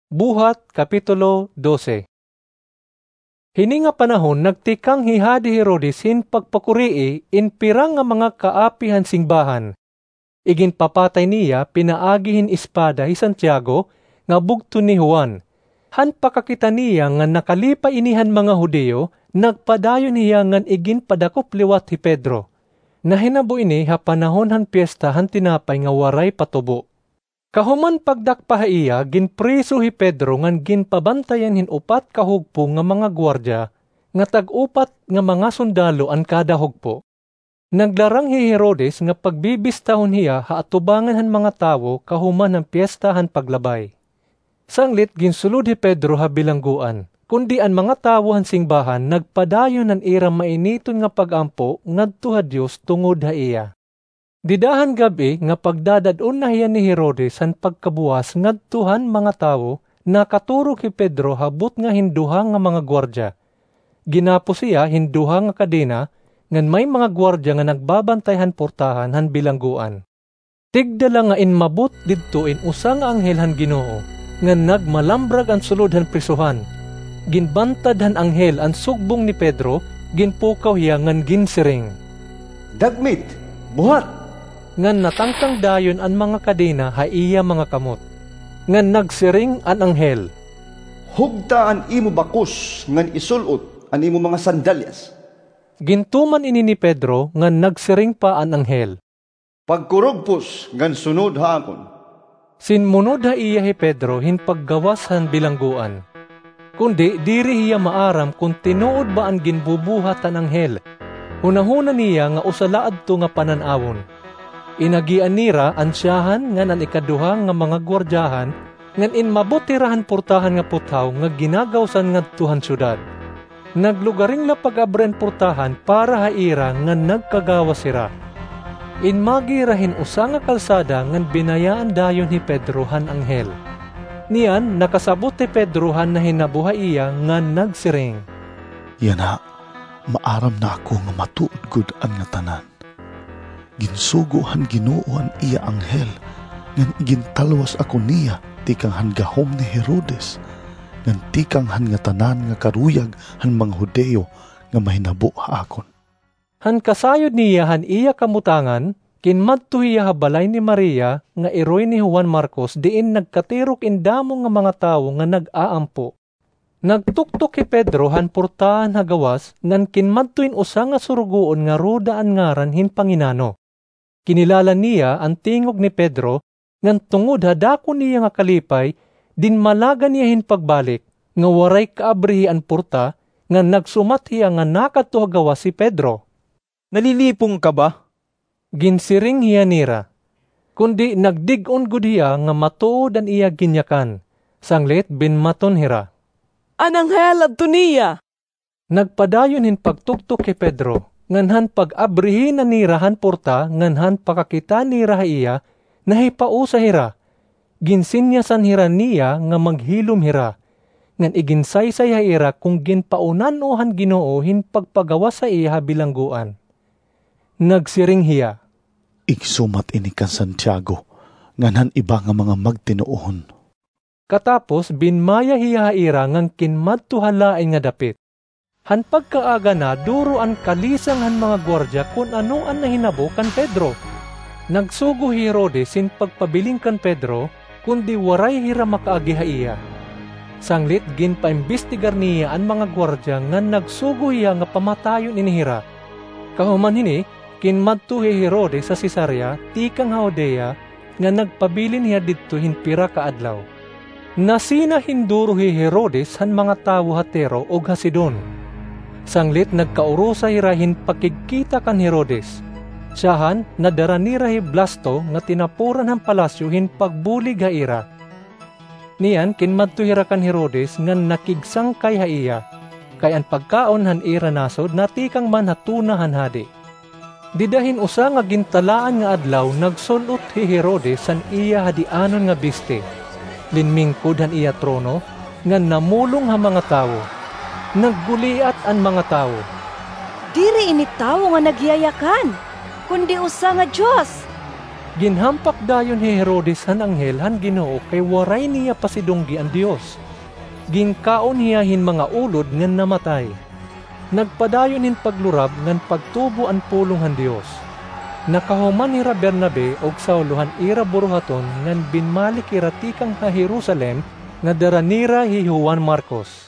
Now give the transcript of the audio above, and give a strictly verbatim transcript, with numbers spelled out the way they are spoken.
Buhat, Kapitulo dose. Hini nga panahon, nagtikang hi Hadi Herodes hin pagpakurii in pira nga mga kaapi han singbahan. Iginpapatay niya pinaagi hin espada hi Santiago nga bugto ni Juan. Han pakakita niya nga nakalipay ini han mga Judio, nagpadayon hiya ngan iginpadakop liwat hi Pedro. Nahinabo ini ha panahon han Piyesta han Tinapay nga Waray Patubo. Kahuman pagdakpa ha iya, ginpriso hi Pedro ngan ginpabantayan hin upat ka hugpo nga mga guwardiya, nga tag-upat nga mga sundalo an kada hugpo. Naglarang hi Herodes nga pagbibistahon hiya ha atubangan han mga tawo kahuman han Piyesta han Paglabay. Sanglit ginsulod hi Pedro ha bilanggoan, kundi an mga tawo han singbahan nagpadayon han ira mainiton nga pag-ampo ngadto ha Dios tungod ha iya. Dida han gab-i nga pagdadad-on na hiya ni Herodes han pagkabuwas ngadto han mga tawo, nakaturog hi Pedro ha butnga hin duha nga mga guwardiya. Ginapos hiya hin duha nga kadena, ngan may mga guwardiya nga nagbabantay han portahan han bilanggoan. Tigda la nga inmabot didto in usa nga anghel han Ginoo, ngan nagmalambrag an sulod han prisohan. Ginbantad han anghel an sugbong ni Pedro, ginpukaw hiya ngan ginsiring, "Dagmit, buhat!" Ngan natangtang dayon an mga kadena ha iya mga kamot. Ngan nagsiring an anghel, "Hugta an imo bakos ngan isul-ot an imo mga sandalyas." Gintuman ini ni Pedro ngan nagsiring pa an anghel, "Pagkurugpos ngan sunod ha akon." Sinmunod ha iya hi Pedro hin paggawas han bilanggoan. Kundi diri hiya maaram kon tinuod ba an ginbubuhat han anghel. Hunahuna niya nga usa la adto nga panan-awon. Inagian nira an syahan ngan an ikaduha nga mga guwardiyahan, ngan inmabot hira han portahan nga puthaw nga ginagawsan ngadto han syudad. Naglugaring la pag-abri han portahan para ha ira ngan nagkagawas hira. Inmagi hira hin usa nga kalsada ngan binayaan dayon hi Pedro han anghel. Niyan, nakasabot hi Pedro han nahinabo ha iya ngan nagsiring, "Yana, maaram na ako nga matuod gud an ngatanan. Ginsugo han Ginoo an iya anghel, ngan igintalwas ako niya tikang han gahom ni Herodes, ngan tikang han ngatanan nga karuyag han mga Judio nga mahinabo ha akon." Han kasayod niya han iya kamutangan, kinmadto hiya ha balay ni Maria nga iroy ni Juan Marcos, diin nagkatirok in damo nga mga tawo nga nag-aampo. Nagtuktok hi Pedro han portahan ha gawas ngan kinmadto in usa nga surugoon nga Roda an ngaran hin panginano. Kinilala niya an tingog ni Pedro, ngan tungod ha dako niya nga kalipay, dinmalagan niya hin pagbalik, nga waray kaabrihi an porta, ngan nagsumat hiya nga nakadto ha gawas hi Pedro. "Nalilipong ka ba?" ginsiring hiya nira. Kundi nagdig-on gud hiya nga matuod an iya ginyakan. Sanglit binmaton hira, "An anghel adto niya!" Nagpadayon hin pagtuktok hi Pedro, ngan han pag-abrihi na nira han porta ngan han pakakita nira ha iya, nahipausa hira. Ginsinyasan hira niya nga maghilom hira, ngan iginsaysay ha ira kon ginpaunano han Ginoo hin pagpagawas ha iya ha bilanggoan. Nagsiring hiya, "Igsumat ini kan Santiago ngan han iba nga mga magtinuohon." Katapos, binmaya hiya ha ira ngan kinmadto ha lain nga dapit. Han pagkaaga na, duro an kalisang han mga guwardiya kon ano an nahinabo kan Pedro. Nagsugo hi Herodes hin pagpabilin kan Pedro, kundi waray hira makaagi ha iya. Sanglit ginpaimbestigar niya an mga guwardiya ngan nagsugo hiya nga pamatayon ini hira. Kahuman hini, kinmadto hi Herodes ha Cesarea tikang ha Judea, nga nagpabilin hiya didto hin pira ka adlaw. Nasina hin duro hi Herodes han mga tawo ha Tiro ug ha Sidon. Sanglit nagkaurusa hira hin pakigkita kan Herodes. Syahan, nadara nira hi Blasto nga tinapuran han palasyo hin pagbulig ha ira. Niyan, kinmadto hira kan Herodes ngan nakigsangkay ha iya, kay an pagkaon han ira nasod natikang man ha tuna han hadi. Dida hin usa nga gintalaan nga adlaw, nagsul-ot hi Herodes han iya hadianon nga biste, linmingkod han iya trono, ngan namulong ha mga tawo. Nagguliat an mga tawo, "Diri ini tawo nga nagyayakan, kundi usa nga dios." Ginhampak dayon hi Herodes han anghel han Ginoo kay waray niya pasidunggi an Dios. Ginkaon hiya hin mga ulod ngan namatay. Nagpadayon hin paglurab ngan pagtubo an pulong han Dios. Nakahuman hira Bernabe ug Saulo han ira buruhaton ngan binmalik hira tikang ha Jerusalem nga dara nira hi Juan Marcos.